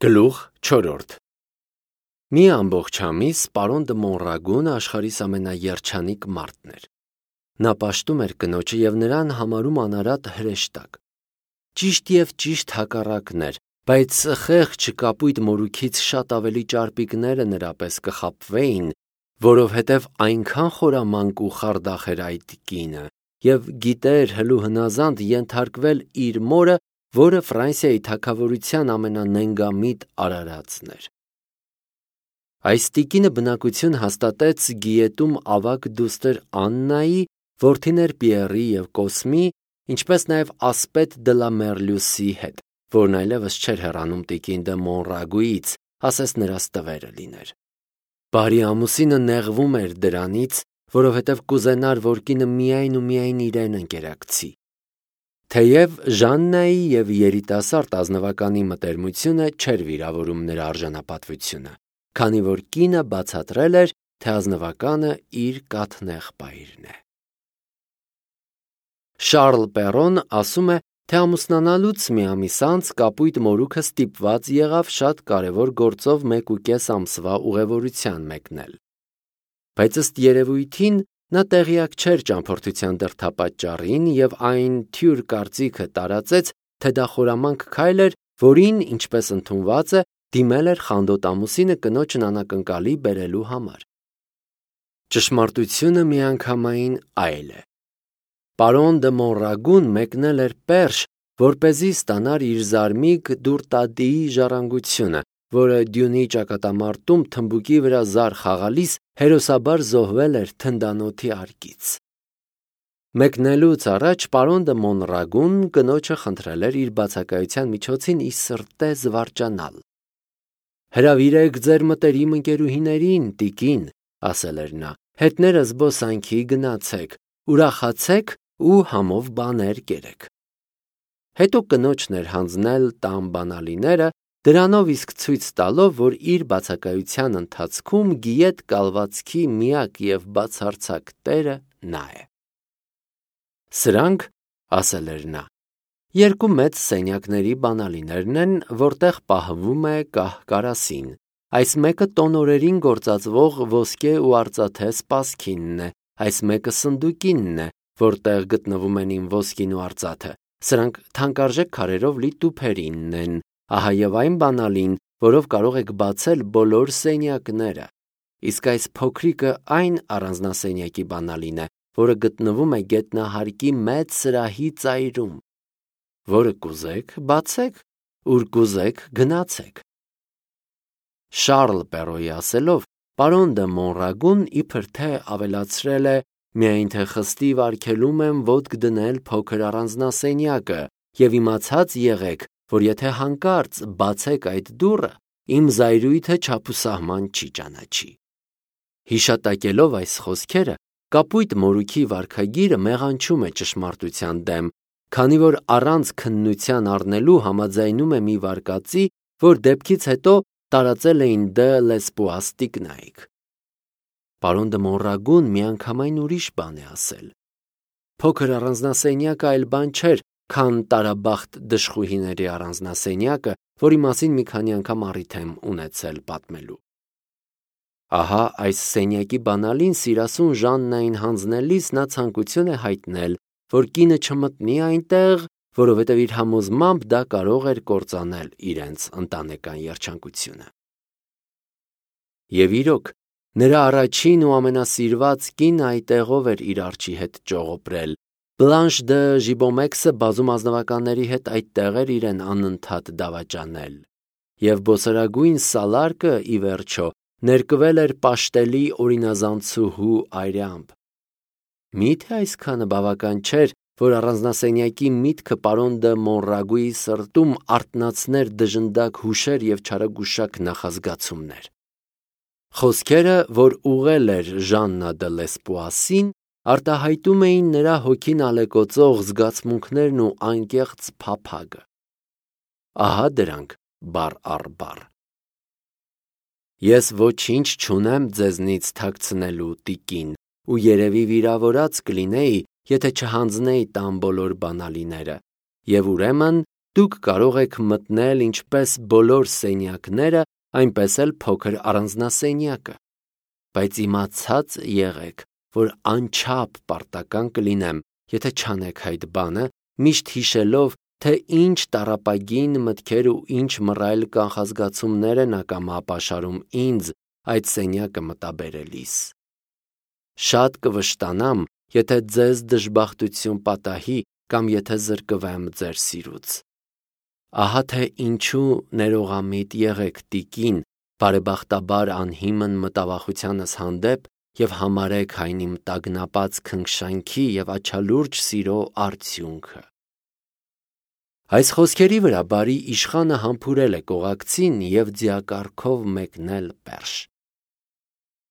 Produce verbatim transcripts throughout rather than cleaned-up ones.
Գլուխ չորրորդ Մի ամբողջ ամիս պարոն դը Մոնրագունը աշխարհիս ամենաերջանիկ մարդն էր։ Նա պաշտում էր կնոջը և նրան համարում անարատ հրեշտակ։ Ճիշտ և ճիշտ հակառակն էր, բայց խեղճ կապույտ մորուքից շատ ավելի ճարպիկները նրա պես կխաբվեին, որովհետև այնքան խորամանկ ու խարդախ էր այդ կինը, և գիտեր հլու հնազանդ ենթարկվել իր մորը, որը Ֆրանսիայի թագավորության ամենանենգամիտ արարածն էր։ Այս տիկինը բնակություն հաստատեց Գիետում ավագ դուստր Աննայի, որդիներ Պիեռի և Կոսմի, ինչպես նաև Ասպետ դը լա Մերլյուսի հետ, որն այլևս չէր հեռանում տիկին դը Մոնրագուից, ասես նրանց տվերը լիներ։ Բարի ամուսինը նեղվում էր դրանից, որովհետև կուզենար, որ կինը միայն ու միայն իրեն ընկերակցի։ Թեև Ժաննայի և երիտասարդ ազնվականի մտերմությունը չէր վիրավորում նրա արժանապատվությունը, քանի որ կինը բացատրել էր, թե ազնվականը իր կաթնեղբայրն է։ Շարլ Պերոն ասում է, թե ամուսնանալուց մի ամիս անց կապույտ մորուքը ստիպված եղավ շատ կարևոր գործով մեկ ու կես ամսվա ուղևորության մեկնել։ Բայց ըստ երևույթին նա տեղյակ չէր ճամփորդության դրդապատճառին և այն թյուր կարծիքը տարածեց, թե դա խորամանկ քայլ էր, որին, ինչպես ընդունված է, դիմել էր խանդոտ ամուսինը կնոջն անակնկալի բերելու համար։ Ճշմարտությունը միանգամայն այլ է։ Պարոն դը Մոնրագուն մեկնել էր Պերշ, որպեսզի ստանար իր զարմիկ Դուրտադիի ժառանգությունը, որը Դյունի ճակատամարտում թմբուկի վրա զար խաղալիս հերոսաբար զոհվել էր թնդանոթի արկից։ Մեկնելուց առաջ պարոն դը Մոնրագուն կնոջը խնդրել էր իր բացակայության միջոցին ի սրտե զվարճանալ։ «Հրավիրեք ձեր մտերիմ ընկերուհիներին, տիկին», ասել էր նա, «հետները զբոսանքի գնացեք, ուրախացեք ու համով բաներ կերեք»։ Հետո կնոջն էր հանձնել տան բանալիները, դրանով իսկ ցույց տալով, որ իր բացակայության ընթացքում գիետ կալվածքի միակ և բացարձակ տերը նա է։ «Սրանք, ասել էր նա, երկու մեծ սենյակների բանալիներն են, որտեղ պահվում է կահ-կարասին, այս մեկը տոնորերին գործածվող ոսկե ու արծաթե սպասքինն է, այս մեկը սնդուկինն է, որտեղ գտնվում են իմ ոսկին ու արծաթը, սրանք թանկարժեք քարերով լի տուփերինն են, ահա և այն բանալին, որով կարող եք բացել բոլոր սենյակները, իսկ այս փոքրիկը այն առանձնասենյակի բանալին է, որը գտնվում է գետնահարկի մեծ սրահի ծայրում, որը կուզեք բացեք, ուր կուզեք գնացեք։ Շարլ Պերոյի ասելով, պարոն դը Մոնրագուն իբր թե ավելացրել է. «Միայն թե խստիվ արգելում եմ ոտք դնել փոքր առանձնասենյակը և իմացած եղեք, որ եթե հանկարծ բացեք այդ դուռը, իմ զայրույթը չափուսահման չի ճանաչի»։ Հիշատակելով այս խոսքերը, կապույտ մորուքի վարքագիրը մեղանչում է ճշմարտության դեմ, քանի որ առանց քննության առնելու համաձայնում է մի վարկածի, որ դեպքից հետո տարածել էին դը Լեսպուաս տիկնայք։ Պարոն դը Մոնրագուն միանգամայն ուրիշ բան է ասել։ Փոքր առանձնասենյակը այլ բան չէր, քան տարաբախտ դժխուհիների առանձնասենյակը, որի մասին մի քանի անգամ առիթ եմ ունեցել պատմելու։ Ահա այս սենյակի բանալին սիրասուն Ժաննային հանձնելիս նա ցանկություն է հայտնել, որ կինը չմտնի այնտեղ, որովհետև իր համոզմամբ դա կարող էր կործանել իրենց ընտանեկան երջանկությունը։ Եվ իրոք, նրա առաջին ու ամենասիրված կինը այդտեղով էր իր արջի հետ ճողոպրել, Բլանշ դը Ժիբոմեքսը բազում ազնվականների հետ այդտեղ էր իրեն անընդհատ դավաճանել, և բոցարագույն Սալարկը, ի վերջո, ներկվել էր պաշտելի օրինազանցուհու այրամբ։ Մի՞թե այսքանը բավական չէր, որ առանձնասենյակի միտքը պարոն դը Մոնրագուի սրտում արթնացներ դժնդակ հուշեր և չարագուշակ նախազգացումներ։ Խոսքերը, որ ուղղել էր Ժաննա դը Լեսպուասին, արտահայտում էին նրա հոգին ալեկոծող զգացմունքներն ու անկեղծ փափագը։ Ահա դրանք բառ առ բառ. «Ես ոչինչ չունեմ ձեզնից թաքցնելու, տիկին, ու երևի վիրավորած կլինեի, եթե չհանձնեի տան բոլոր բանալիները, և ուրեմն դուք կարող եք մտնել ինչպես բոլոր սենյակները, այնպես էլ փոքր առանձնասենյակը, բայց իմացած եղեք, որ անչափ պարտական կլինեմ, եթե չանեք այդ բանը, միշտ հիշելով, թե ինչ տառապագին մտքեր ու ինչ մռայլ կանխազգացումներ են ակամա ապաշարում ինձ այդ սենյակը մտաբերելիս։ Շատ կվշտանամ, եթե ձեզ դժբախտություն պատահի կամ եթե զրկվեմ ձեր սիրուց։ Ահա թե ինչու ներողամիտ եղեք տիկին, բարեբախտաբար անհիմն մտավախությանս հանդեպ և համարեք այն իմ տագնապած քնքշանքի և աչալուրջ սիրո արդյունքը։ Այս խոսքերի վրա բարի իշխանը համբուրել է կողակցին և ձիակառքով մեկնել Պերշ։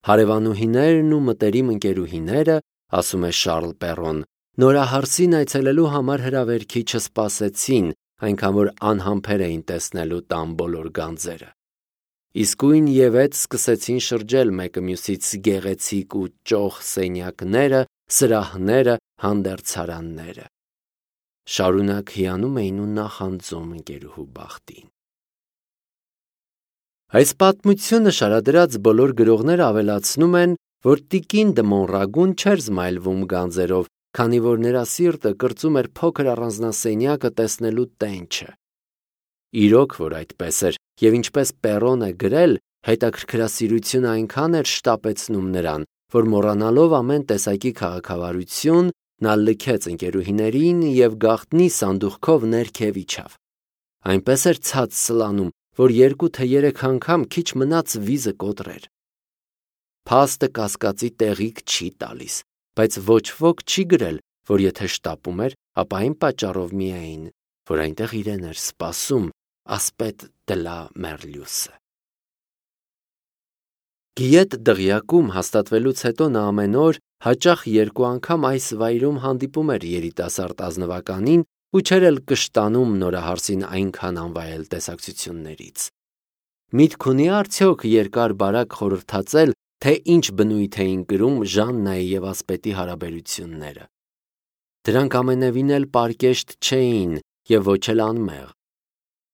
Հարևանուհիներն ու մտերիմ ընկերուհիները, ասում է Շառլ Պեռոն, նորահարսին այցելելու համար հրավերքի չսպասեցին, այնքան որ անհամբեր էին տեսնելու տան բոլոր գանձերը։ Իսկույն ևեթ սկսեցին շրջել մեկը մյուսից գեղեցիկ ու ճոխ սենյակները, սրահները, հանդերձարանները։ Շարունակ հիանում էին ու նախանձում ընկերուհու բախտին։ Այս պատմությունը շարադրած բոլոր գրողները ավելացնում են, որ տիկին դը Մոնրագուն չէր զմայլվում գանձերով, քանի որ նրա սիրտը կրծում էր փոքր առանձնասենյակը տեսնելու տենչը։ Իրոք, որ այդպես էր, և ինչպես Պեռոն է գրել, հետաքրքրասիրությունը այնքան էր շտապեցնում նրան, որ մոռանալով ամեն տեսակի քաղաքավարություն, նա լքեց ընկերուհիներին և գաղտնի սանդուղքով ներքև իջավ։ Այնպես էր ցած սլանում, որ երկու թե երեք անգամ քիչ մնաց վիզը կոտրեր։ Փաստը կասկածի տեղիք չի տալիս, բայց ոչ ոք չի գրել, որ եթե շտապում էր, ապա այն պատճառով միայն, որ այնտեղ իրեն էր սպասում ասպետ դլա Մերլյուսը։ Գիետ դղյակում հաստատվելուց հետո նա ամեն օր հաճախ երկու անգամ այս վայրում հանդիպում էր երիտասարդ ազնվականին ու չէր էլ կշտանում նորահարսին այնքան անվայել տեսակցություններից։ Միտք ունի արդյոք երկար-բարակ խորհրդածել, թե ինչ բնույթ էին կրում Ժաննայի և ասպետի հարաբերությունները։ Դրանք ամենևին էլ պարկեշտ չէին և ոչ էլ անմեղ։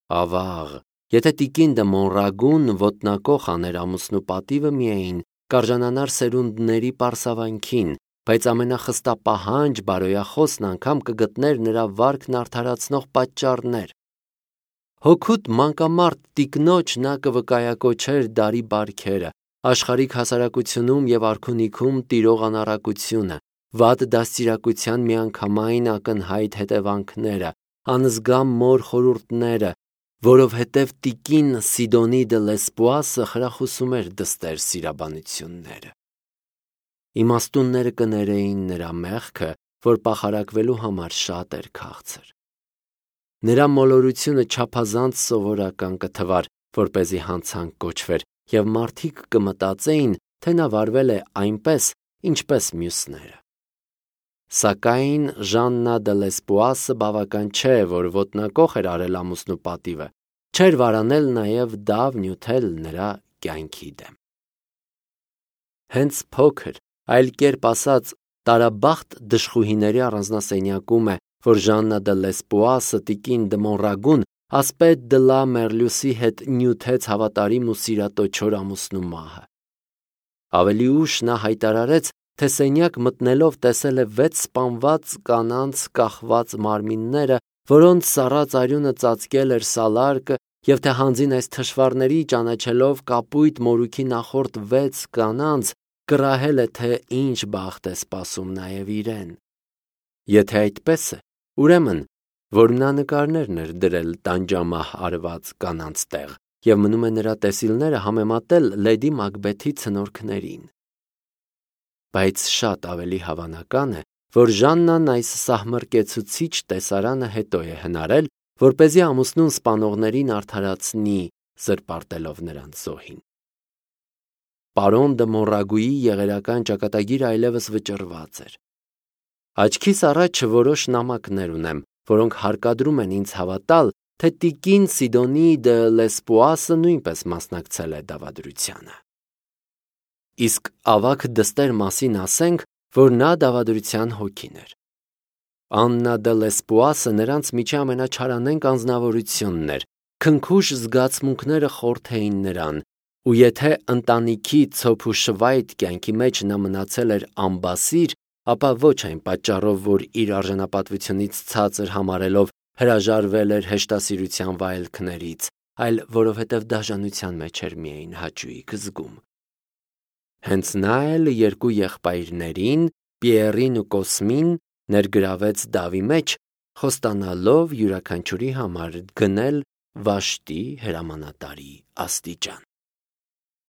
Ավաղ, եթե տիկին դը Մոնրագուն ոտնակոխ աներ ամուսնու պատիվը միայն, կարժանանար սերունդների պարսավանքին, բայց ամենախստապահանջ բարոյախոսն անգամ կգտներ նրա վարքն արդարացնող պատճառներ։ Հոգուտ մանկամարտ տիկնոջ նա կվկայակոչեր դարի բարքերը, աշխարհիկ հասարակությունում և արքունիքում տիրող անառակությունը, վատ դաստիարակության միանգամայն ակնհայտ հետևանքները, անզգամ մոր խորհուրդները, որովհետև տիկին Սիդոնի դը Լեսպուասը խրախուսում էր դստեր սիրաբանությունները։ Իմաստունները կներեին նրա մեղքը, որ պախարակվելու համար շատ էր քաղցր։ Նրա մոլորությունը չափազանց սովորական կթվար, որպեսզի հանցանք կոչվեր, և մարդիկ կմտածեին, թե նա վարվել է այնպես, ինչպես մյուսները։ Սակայն Ժաննա դը Լեսպուասը բավական չէ, որ ոտնակոխ էր արել ամուսնու պատիվը, չէր վարանել նաև դավ նյութել նրա կյանքի դեմ։ Հենց փոքր, այլ կերպ ասած, տարաբախտ դժխուհիների առանձնասենյակում է, որ Ժաննա դը Լեսպուասը տիկին դը Մոնրագուն ասպետ դլա Մերլյուսի հետ նյութեց հավատարիմ ու սիրատո չոր ամուսնու մահը։ Ավելի ուշ նա հայտարարեց, թե սենյակ մտնելով տեսել է վեց սպանված կանանց կախված մարմինները, որոնց սառած արյունը ծածկել էր սալարկը, և թե հանձին այս թշվառների ճանաչելով կապույտ մորուքի նախորդ վեց կանանց, կռահել է, թե ինչ բախտ է սպասում նաև իրեն։ Եթե այդպես է, ուրեմն, որ նա նկարներն էր դրել տանջամահ արված կանանց տեղ, և մնում է նրա տեսիլները համեմատել Լեդի Մակբեթի ցնորքներին։ Բայց շատ ավելի հավանական է, որ Ժաննան այս սահմռկեցուցիչ տեսարանը հետո է հնարել, որպեսզի ամուսնուն սպանողներին արդարացնի, զրպարտելով նրանց զոհին։ Պարոն դը Մոնրագուի եղերական ճակատագիրը այլևս վճռված էր։ Աչքիս առաջ որոշ նամակներ ունեմ, որոնք հարկադրում են ինձ հավատալ, թե տիկին Սիդոնի դը Լեսպուասը նույնպես մասնակցել է դավադրությանը։ Իսկ ավագ դստեր մասին ասենք, որ նա դավադրության հոգին էր։ Աննա դե Լեսպուասը նրանց միջի ամենաչարանենկ անձնավորությունն էր, քնքուշ զգացմունքները խորթ էին նրան, ու եթե ընտանիքի ցոփ ու շվայտ կյանքի մեջ նա մնացել էր ամբասիր, ապա ոչ այն պատճառով, որ իր արժանապատվությունից ցածր համարելով հրաժարվել էր հեշտասիրության վայելքներից, այլ որովհետև դաժանության մեջ էր միայն հաճույք զգում։ Հենց նա էլ երկու եղբայրներին, Պիերին ու Կոսմին, ներգրավեց դավի մեջ, խոստանալով յուրաքանչյուրի համար գնել վաշտի հրամանատարի աստիճան։